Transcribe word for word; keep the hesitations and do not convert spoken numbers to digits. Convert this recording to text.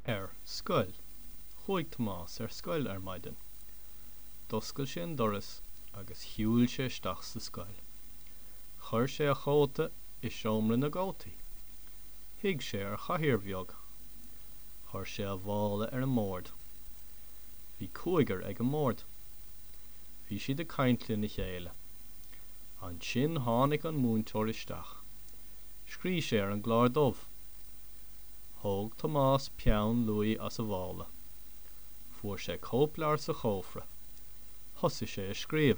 Ar scoil. Chuaigh Tomás ar scoil ar maidin. D'oscail sé an doras agus shiúil sé isteach sa scoil. Chuir sé a chóta i seomra na gcótaí. Shuigh sé ar chathaoir bheag. Chuir sé a mhála ar an mbord. Bhí cúigear ag an mbord. Bhí siad ag caint lena chéile. Ansin tháinig an múinteoir isteach. Scríobh sé ar an gclár dubh. Thóg Tomás peann luaidhe as a mhála. Fuair sé cóipleabhar sa chófra. Thosaigh sé a scríobh.